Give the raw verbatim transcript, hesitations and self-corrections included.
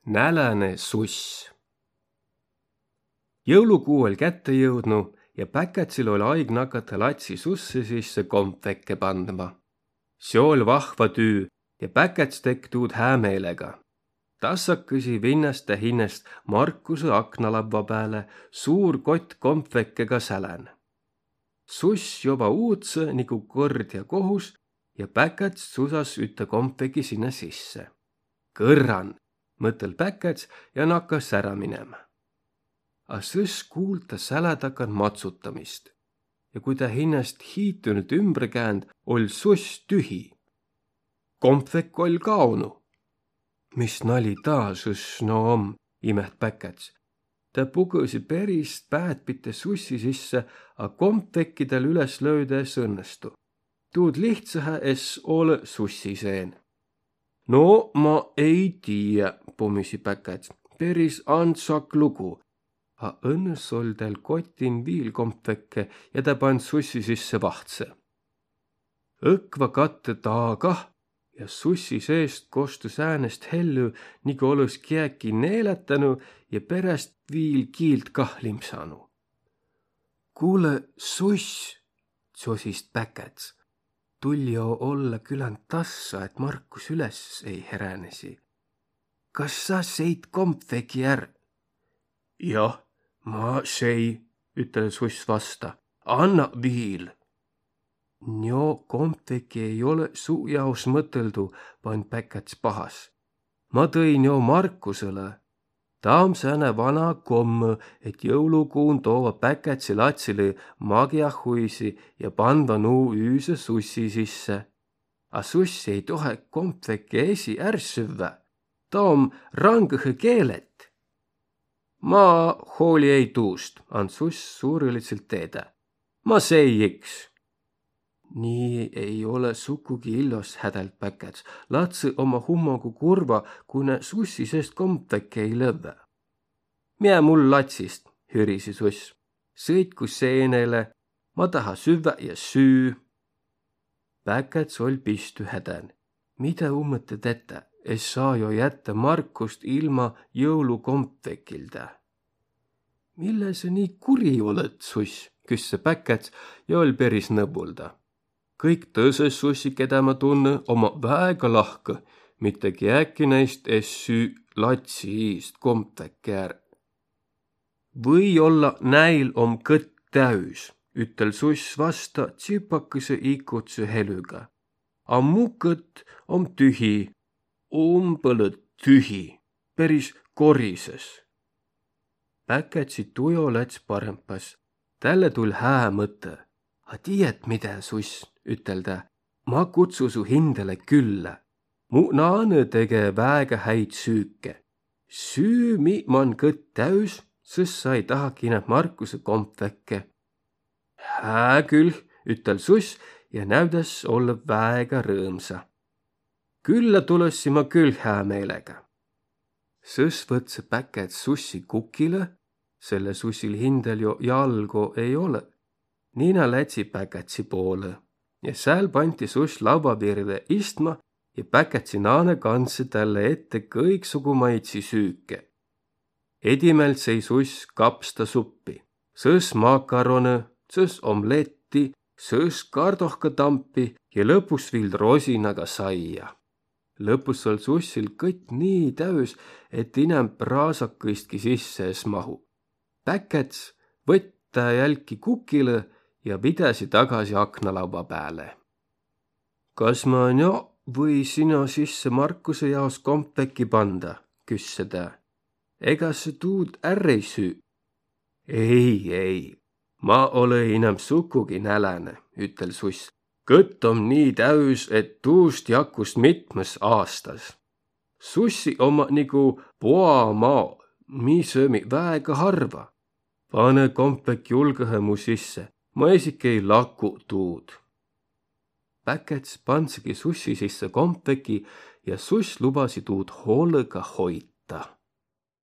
Näläne suss. Jõulukuu oll' kätte jõudnu ja Päkätsil oll' aig nakata latsi susse sisse kompvekke pandma. Seo oll' vahva tüü ja Päkäts tekk' tuud hää meelega. Tassakõsi vinnäs tä hinnäst Markusõ aknalavva pääle, suur kott kompvekke ka sälän. Suss joba uutsõ nigu kord ja kohus ja Päkäts susas ütte kompveki sinnä sisse. Kõrran, mõtõl' Päkäts ja nakas ärä minemä. A sõs kuult' tä sälä takan matsutamist. Ja kui tä hinnäst hiitünült ümbre käänd', oll' suss tühi. Kompvek oll' kaonu. Mis nali taa sõs no om, imeht Päkäts. Tä pukõsi peris pääd pite sussi sisse, a kompvekki täl üles löüdä es õnnestu. Tuud lihtsähe es olõ sussi seen. No ma ei tiiä, pumisi Päkäts. Peris andsak lugu. A õnnõs oll' täl kotin viil kompvekke ja tä pand sussi sisse vahtsõ. Õkva kattõ taa kah ja sussi seest kostus äänest hellü, nigu olõs kiäki neelätänu ja peräst viil kiilt kah limpsanu. Kuulõ, suss, tsosis Päkäts. Tull' jo olla küländ tassa, et Markus üles ei heränesi. Kas sa seit kompveki är? Jah, ma sei, ütel' suss vasta. Anna viil. Njo kompveki ei olõ su jaos mõtõldu, pand Päkäts pahas. Ma tõi njo Markusõlõ. Taa om sääne vana kommõ, et jõulukuun toova Päkätsi latsilõ magiahuisi ja pandva nuu üüse sussi sisse. A sussi ei tohe kompveke esi är süvvä. Taa om rangõhõ keelet. Ma hooli ei tuust, and suss suurõlidsõlt teedä. Ma sei iks. Nii ei olõ sukugi illos, hädäld Päkäts. Latsõ omma hummogu kurva, ku nä sussi seest kompveke ei lövvä. Miä mul latsist, hürisi suss. Sõitku seenele, ma taha süvvä ja süü. Päkäts oll' pistü hädän. Midä ummõtõ tetä, es saa jo jättä Markust ilma jõulukompvekildä. Mille sa nii kuri olõt, suss, küsse Päkäts ja oll' peris nõvvulda. Kõik tõsõ sussi, kedä ma tunnõ, omma väega lahkõ, mitte kiäki näist es süü latsi iist kompveke är. Või-olla näil om kõtt täüs, ütel suss vasta tsipakõsõ ikudsõ helüga. A mu kõtt om tühi, umbõlõ tühi, peris korisõs. Päkätsi tujo läts parempas. Tälle tull' hää mõtõ. A tiiät midä, suss, ütel tä, ma kutsu su hindäle küllä. Mu naanõ tege väega häid süüke. Süü mi man kõtt täüs, sõs sa ei tahaki inämb Markusõ kompveke. Hää külh, ütel suss ja näüdäs ollõv väega rõõmsa. Küllä tulõssi ma külh hää meelega. Sõs võtsõ Päkäts sussi kukilõ, selle sussil hindäl jo jalgo ei olõ. Nina lätsi Päkätsi poolõ ja sääl panti suss lavva virve istma ja Päkätsi naanõ kandsõ tälle ette kõiksugumaidsi süüke. Edimält sei suss kapstasuppi, sõs makaronõ, sõs omletti, sõs kardohkatampi ja lõpus viil rosinaga saia. Lõpus oll' sussil kõtt nii täüs, et inämb raasakõistki sisse es mahu. Päkäts võtt tä jälki kukilõ ja vidäsi tagasi aknalavva pääle. Kas ma njo või sino sisse Markusõ jaos kompveki panda, küsse tä. Ega sa tuud är ei süü? Ei, ei, ma olõ inämb sukugi näläne, ütel suss. Kõtt om nii täüs, et tuust jakkus mitmõs aastas. Sussi omma nigu poamao, mi söömi väega harva. Panõ kompvek julgõhe mu sisse, ma esiki ei laku tuud. Päkäts pandsigi sussi sisse kompveki ja suss lubasi tuud hoolõga hoita.